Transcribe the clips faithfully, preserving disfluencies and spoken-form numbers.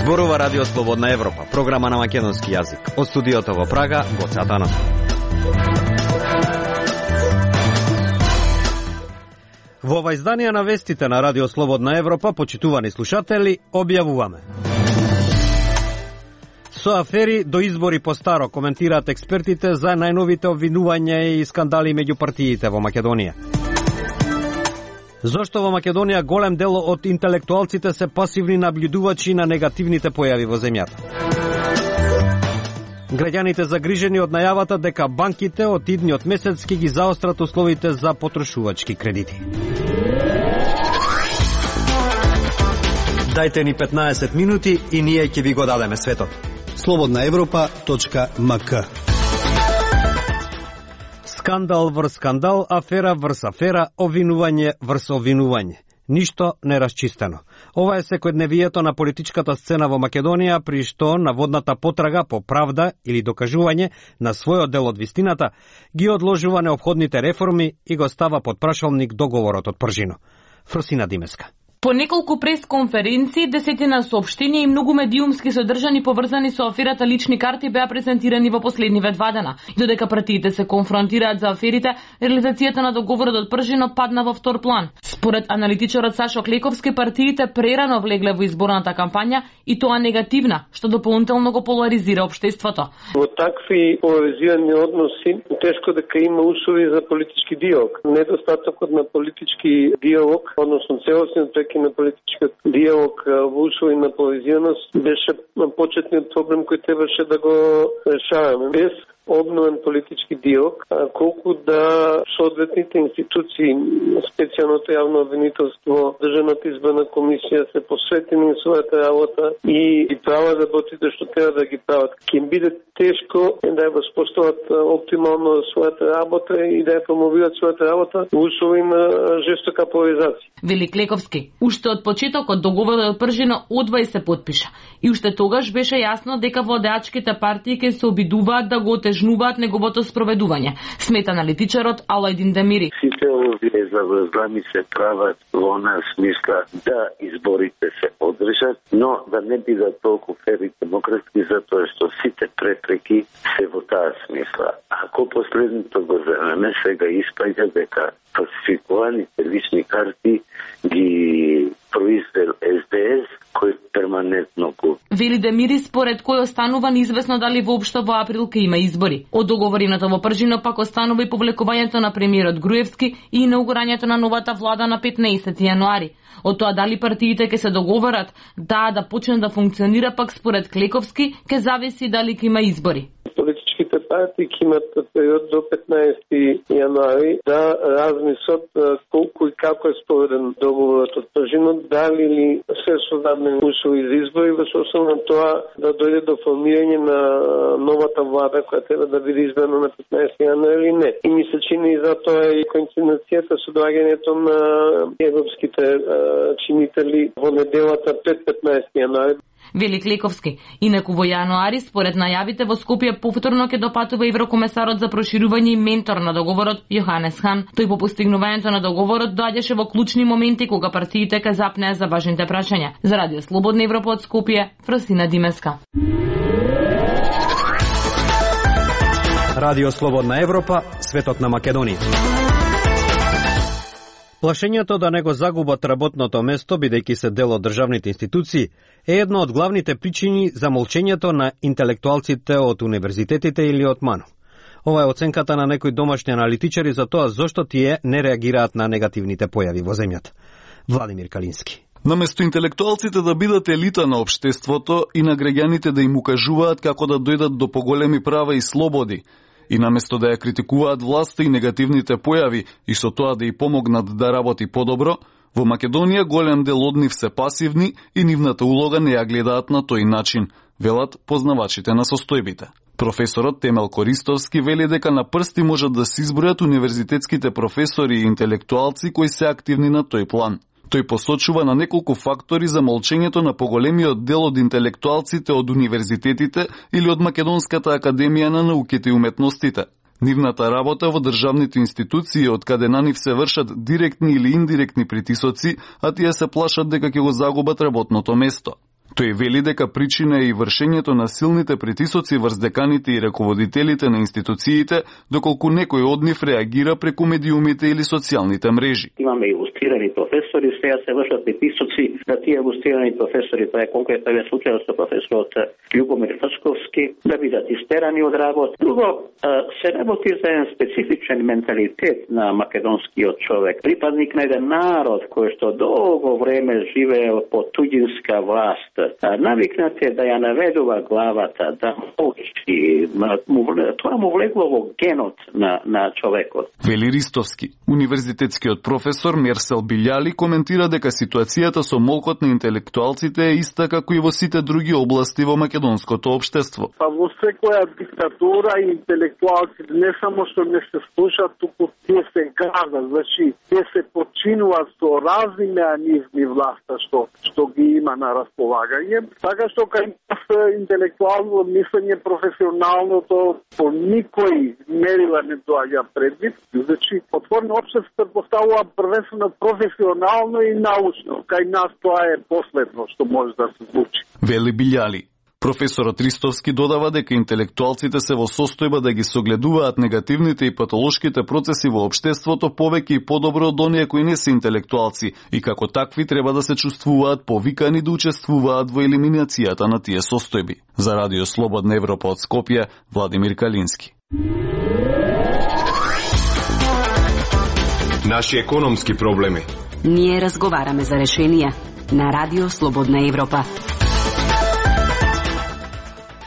Зборува Радио Слободна Европа, програма на македонски јазик. Од студиото во Прага, Гоце Атанов. Во ова издание на вестите на Радио Слободна Европа, почитувани слушатели, објавуваме. Со афери до избори по старо, коментираат експертите за најновите обвинувања и скандали меѓу партиите во Македонија. Зошто во Македонија голем дел од интелектуалците се пасивни наблюдувачи на негативните појави во земјата? Граѓаните загрижени од најавата дека банките од идниот месец ќе ги заострат условите за потрошувачки кредити. Дајте ни петнаесет минути и ние ќе ви го дадеме светот. слободна европа точка ем ка. Скандал врз скандал, афера врз афера, обвинување врз обвинување. Ништо не расчистено. Ова е секојдневието на политичката сцена во Македонија, при што наводната потрага по правда или докажување на својот дел од вистината ги одложува неопходните реформи и го става под прашалник договорот од Пржино. Фросина Димеска. По неколку пресконференции, десетина соопштенија и многу медиумски содржани поврзани со аферата лични карти беа презентирани во последниве два дена. И додека партиите се конфронтираат за аферите, реализацијата на договорот од Пржино падна во втор план. Според аналитичарот Сашо Клековски, партиите прерано влегле во изборната кампања и тоа негативна, што дополнително го поларизира општеството. Во такви поларизирани односи тешко дека има услови за политички диалог. Недостатокот на политички диалог, односно целосниот на политичкиот диалог во услови на поларизираност беше почетниот проблем кој требаше да го решаваме. Без обновен политички диалог, колку да соодветните институции, специјалното јавно обвинителство, Државната изборна комисија се посветени на својата работа и ги прават работите што треба да ги прават. Ќе биде тешко да ја воспостават оптимално својата работа и да ја промовираат својата работа во услови на жестока поларизација. Вели Клековски, уште од почетокот договорот од Пржино одвај се потпиша. И уште тогаш беше јасно дека владеачките партии ќе се обидуваат да го отежнуваат неговото спроведување, смета аналитичарот Алајдин Демири. Сите овие заврзлами се прават во онаа смисла да изборите се одржат, но да не бидат толку фер и демократски, затоа што сите препреки се во таа смисла. Ако последното го земеме, сега испаѓа дека фалсификуваните лични карти ги произвел Ес Де Ес, кој перманентно го. Вели Демири, според кој останува неизвестно дали воопшто во април ќе има избори. Од договорината во Пржино пак останува и повлекувањето на премиерот Груевски и инаугурањето на новата влада на петнаесети јануари. Од тоа дали партиите ќе се договорат да да почне да функционира, пак според Клековски ќе зависи дали ќе има избори. Политичките партии ќе имат период до петнаесети јануари да размислат колку и како е спроведен договорот од Пржино, дали ли се создадени услови за избори, во соодветно на тоа да дојде до формирање на новата влада која треба да биде избрана на петнаесети јануари или не. И ми се чини и затоа и коинциденцијата со доаѓањето на европските чинители во неделата пред петнаесети јануари. Вели Клековски. Инаку во јануари, според најавите, во Скопје повторно ќе допатува еврокомесарот за проширување и ментор на договорот Јоханес Хан. Тој по постигнувањето на договорот доаѓаше во клучни моменти кога партиите ка запнеа за важните прашања. За Радио Слободна Европа од Скопје, Фросина Димеска. Радио Слободна Европа, светот на Македонија. Плашењето да не го загубат работното место, бидејќи се дел од државните институции, е една од главните причини за молчењето на интелектуалците од универзитетите или од МАНУ. Ова е оценката на некои домашни аналитичари за тоа зошто тие не реагираат на негативните појави во земјата. Владимир Калински. Наместо интелектуалците да бидат елита на општеството и на граѓаните да им укажуваат како да дојдат до поголеми права и слободи, и наместо да ја критикуваат власта и негативните појави и со тоа да ја помогнат да работи подобро, во Македонија голем дел од нив се пасивни и нивната улога не ја гледаат на тој начин, велат познавачите на состојбите. Професорот Темел Користовски вели дека на прсти можат да се избројат универзитетските професори и интелектуалци кои се активни на тој план. Тој посочува на неколку фактори за молчењето на поголемиот дел од интелектуалците од универзитетите или од Македонската академија на науките и уметностите. Нивната работа во државните институции, од каде на нив се вршат директни или индиректни притисоци, а тие се плашат дека ќе го загубат работното место. Тој вели дека причина е и вршењето на силните притисоци врз деканите и раководителите на институциите, доколку некој од нив реагира преку медиумите или социјалните мрежи. Имаме илустрирани професори, сега се вршат притисоци на тие илустрирани професори, тоа е конкретно случајот со професорот Љубомир Фачковски, да бидат истерани од работа. Друго, се работи за еден специфичен менталитет на македонскиот човек, припадник на еден народ кој што долго време живеел под туѓинска власт. Навикнат е да ја наведува главата, да молчи, тоа му влегло во генот на, на човекот. Вели Ристовски, универзитетскиот професор Мерсел Билјали коментира дека ситуацијата со молкот на интелектуалците е иста како и во сите други области во македонското општество. Па во секоја диктатура интелектуалците не само што не се слушаат, туку тие се газат, значи тие се починуваат со разни меанизми власта што што ги има на располагање, така што кај нас интелектуално мислење професионалното по никој мерила не доаѓа предвид, значи отворено општество се поставува првенствено професионално и научно. Кај нас тоа е последно што може да се случи. Вели Билјали. Професорот Ристовски додава дека интелектуалците се во состојба да ги согледуваат негативните и патолошките процеси во општеството повеќе и подобро од оние кои не се интелектуалци и како такви треба да се чувствуваат повикани да учествуваат во елиминацијата на тие состојби. За Радио Слободна Европа од Скопје, Владимир Калински. Наши економски проблеми. Ние разговараме за решенија на Радио Слободна Европа.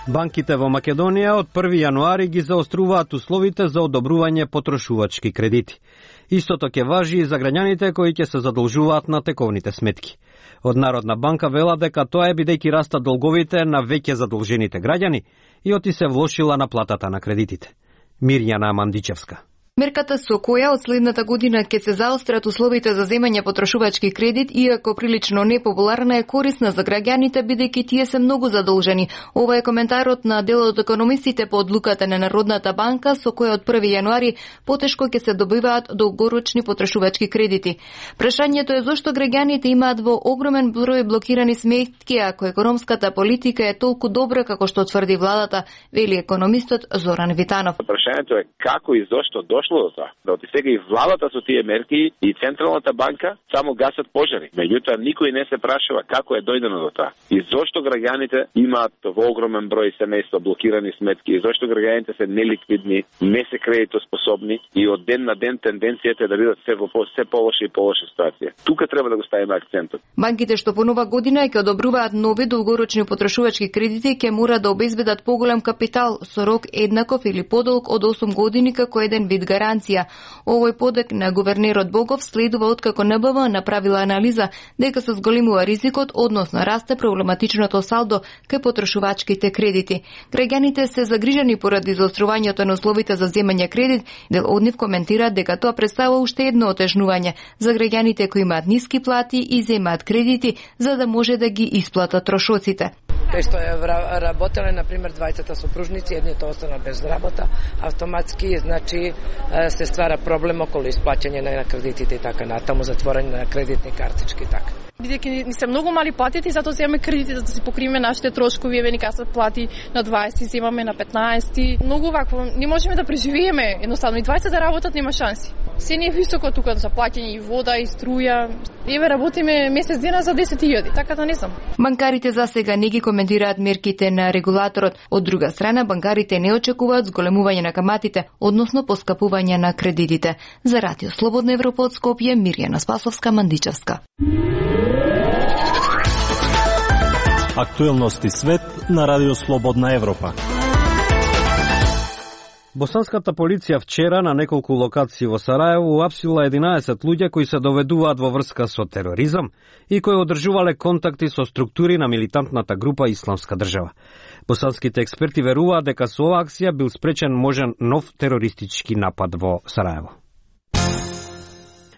Банките во Македонија од први јануари ги заоструваат условите за одобрување потрошувачки кредити. Истото ќе важи и за граѓаните кои ќе се задолжуваат на тековните сметки. Од Народна банка вела дека тоа е бидејќи растат долговите на веќе задолжените граѓани и оти се влошила наплатата на кредитите. Мирјана Мандичевска. Мерката со која од следната година ќе се заострат условите за земање потрошувачки кредит, иако прилично непопуларна, е корисна за граѓаните бидејќи тие се многу задолжени. Ова е коментарот на дел од економистите по одлуката на Народната банка со која од први јануари потешко ќе се добиваат долгорочни потрошувачки кредити. Прашањето е зошто граѓаните имаат во огромен број блокирани сметки ако економската политика е толку добра како што тврди владата, вели економистот Зоран Витанов. Прашањето е како и зошто дошло до тоа. Да оти сега и владата со тие мерки и Централната банка само гасат пожари. Меѓутоа никој не се прашува како е дојдено до тоа. И зошто граѓаните имаат во огромен број семејства блокирани сметки, и зошто граѓаните се неликвидни, не се кредитоспособни и од ден на ден тенденцијата е да бидат се во се полоша и полоша ситуација. Тука треба да го ставиме акцентот. Банките што по нова година ќе одобруваат нови долгорочни потрошувачки кредити ќе мора да обезбедат поголем капитал со рок еднаков или подолг од осум години како еден вид гаранција. Овој подек на гувернерот Богов следува откако Н Б В направила анализа дека се зголемува ризикот, односно расте проблематичното салдо кај потрошувачките кредити. Граѓаните се загрижени поради заострувањето на условите за земање кредит, дел од нив коментираат дека тоа представува уште едно отежнување за граѓаните кои имаат ниски плати и земаат кредити за да може да ги исплатат трошоците. Кај што е работеле, например, двајцата сопружници, едните остана без работа, автоматски, значи, се ствара проблем околу исплаќање на кредитите и така натаму, затворање на кредитни картички и така. Бидејќи ни се многу мали платите, затоа земаме кредити за да си покриеме нашите трошкови, еве ни касат плати на дваесет, земаме на петнаесет. Многу вакво, не можеме да преживееме, едноставно и дваесет да работат нема шанси. Се не е високо тука за плаќање и вода и струја. Еве работиме месец дена за десет илјади, така да не знам. Банкарите за сега не ги коментираат мерките на регулаторот. Од друга страна, банкарите не очекуваат зголемување на каматите, односно поскапување на кредитите. За Радио Слободна Европа од Скопје, Мирјана Спасовска, Мандичевска. Актуелности свет на Радио Слободна Европа. Босанската полиција вчера на неколку локации во Сараево уапсила единаесет луѓе кои се доведуваат во врска со тероризам и кои одржувале контакти со структури на милитантната група Исламска држава. Босанските експерти веруваат дека со оваа акција бил спречен можен нов терористички напад во Сараево.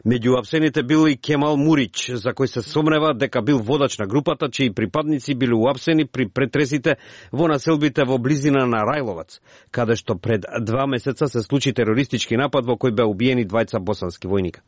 Меѓу уапсените бил и Кемал Мурич, за кој се сомнева дека бил водач на групата, чии припадници били уапсени при претресите во населбите во близина на Рајловац, каде што пред два месеца се случи терористички напад во кој беа убиени двајца босански војника.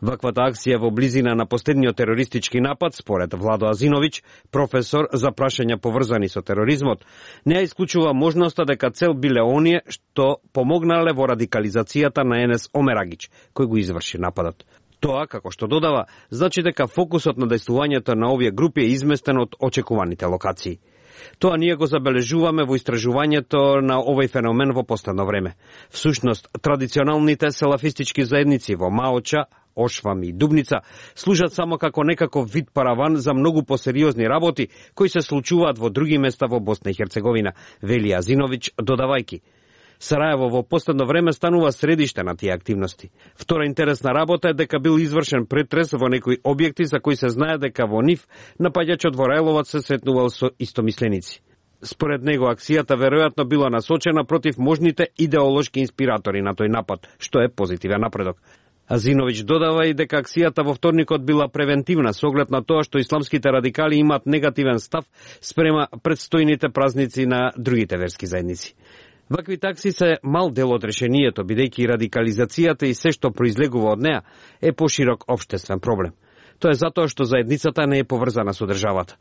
Ваквата акција во близина на последниот терористички напад, според Владо Азиновиќ, професор за прашања поврзани со тероризмот, не ја исклучува можноста дека цел биле оние што помогнале во радикализацијата на Енес Омерагич, кој го изврши нападот. Тоа, како што додава, значи дека фокусот на дејствувањето на овие групи е изместен од очекуваните локации. Тоа ние го забележуваме во истражувањето на овој феномен во последно време. Всушност, традиционалните селафистички заедници во Маоча, Ошвам и Дубница служат само како некаков вид параван за многу посериозни работи кои се случуваат во други места во Босна и Херцеговина, вели Азиновиќ, додавајки: Сараево во последно време станува средиште на тие активности. Втора интересна работа е дека бил извршен претрес во некои објекти за кои се знае дека во нив напаѓачот во Рајловац се сретнувал со истомисленици. Според него, акцијата веројатно била насочена против можните идеолошки инспиратори на тој напад, што е позитивен напредок. Азиновиќ додава и дека акцијата во вторникот била превентивна со оглед на тоа што исламските радикали имаат негативен став спрема предстојните празници на другите верски заедници. Вакви такси се мал дел од решението, бидејќи радикализацијата и се што произлегува од неа е поширок општествен проблем. Тоа е затоа што заедницата не е поврзана со државата.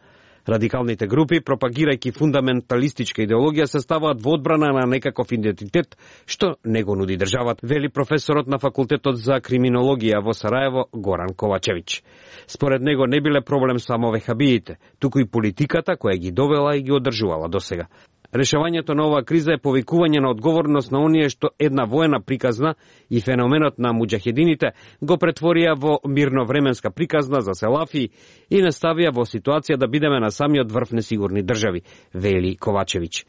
Радикалните групи, пропагирајќи фундаменталистичка идеологија, се ставаат во одбрана на некаков идентитет што не го нуди државата, вели професорот на факултетот за криминологија во Сараево Горан Ковачевиќ. Според него не биле проблем само вехабиите, туку и политиката која ги довела и ги одржувала досега. Решавањето на оваа криза е повикување на одговорност на оние што една воена приказна и феноменот на муџахедините го претворија во мирновременска приказна за селафи и не ставија во ситуација да бидеме на самиот врв несигурни држави, вели Ковачевиќ.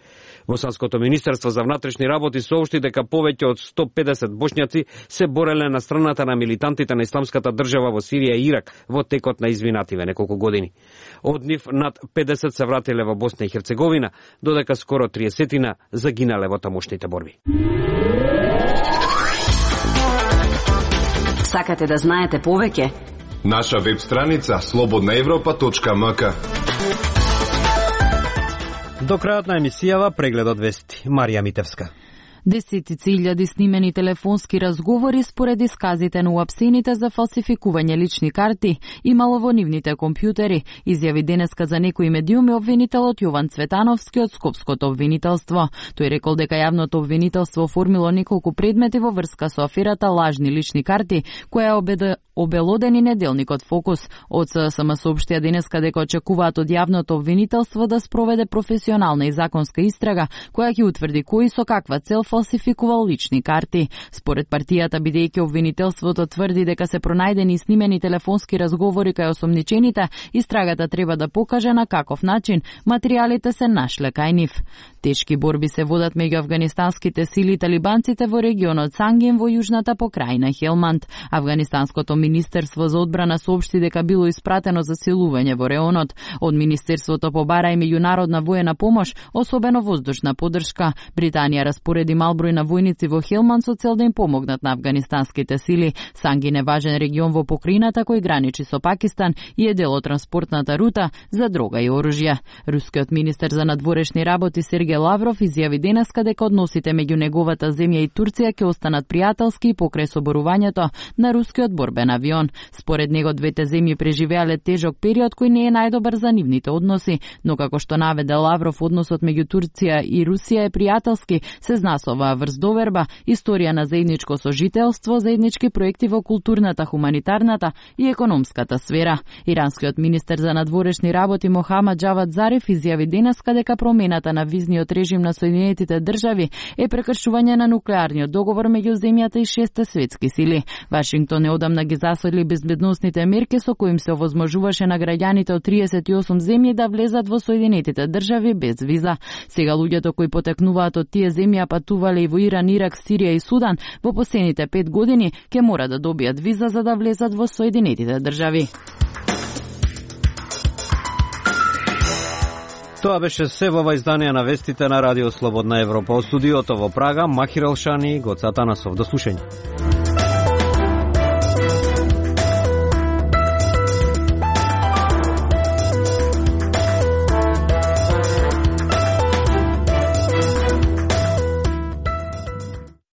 Босанското министерство за внатрешни работи соопшти дека повеќе од сто педесет бошњаци се бореле на страната на милитантите на исламската држава во Сирија и Ирак во текот на извинативе неколку години. Од нив над педесет се вратиле во Босна и Херцеговина, додека скоро триесетина загинале во тамошните борби. Сакате да знаете повеќе? Наша веб страница слободна европа точка ем ка. До крајот на емисијава прегледот вести. Марија Митевска. Десетици илјади снимени телефонски разговори според исказите на уапсените за фалсификување лични карти имало во нивните компјутери, изјави денеска за некои медиуми обвинителот Јован Цветановски од Скопското обвинителство. Тој рекол дека јавното обвинителство оформило неколку предмети во врска со аферата лажни лични карти, која обеда обелодени неделникот Фокус. Од ССМ соопштија денеска дека очекуваат од јавното обвинителство да спроведе професионална и законска истрага која ќе утврди кои со каква цел фалсификувал лични карти. Според партијата, бидејќи обвинителството тврди дека се пронајдени снимени телефонски разговори кај осомничените, истрагата треба да покаже на каков начин материјалите се нашле кај нив. Тешки борби се водат меѓу афганистанските сили и талибанците во регионот Сангин во јужната покрајна Хелманд. Афганистанското Министерство за одбрана соопшти дека било испратено засилување во реонот. Од Министерството побара и меѓународна воена помош, особено воздушна поддршка. Британија распореди мал број на војници во Хелманд со цел да им помогнат на афганистанските сили. Сангин е важен регион во покрајината кој граничи со Пакистан и е дел од транспортната рута за дрога и оружје. Рускиот министер за надворешни работи Сергеј Лавров изјави денеска дека односите меѓу неговата земја и Турција ќе останат пријателски покрај соборувањето на рускиот борбен авион. Според него двете земји преживеале тежок период кој не е најдобар за нивните односи, но како што наведе Лавров, односот меѓу Турција и Русија е пријателски, се знасова врз доверба, историја на заедничко сожителство, заеднички проекти во културната, хуманитарната и економската сфера. Иранскиот министер за надворешни работи Мохамад Џавад Зариф изјави денеска дека промената на визниот режим на Соединетите држави е прекршување на нуклеарниот договор меѓу земјата и шесте светски сили. Вашингтон неодамна ги засили безбедносните мерки со коим се овозможуваше на граѓаните од триесет и осум земји да влезат во Соединетите држави без виза. Сега луѓето кои потекнуваат од тие земји патувале и во Иран, Ирак, Сирија и Судан во последните пет години ќе мора да добијат виза за да влезат во Соединетите држави. Тоа беше се во ова издание на вестите на Радио Слободна Европа. Од студиото во Прага, Махир Елшани, Гоца Атанасов. До слушање.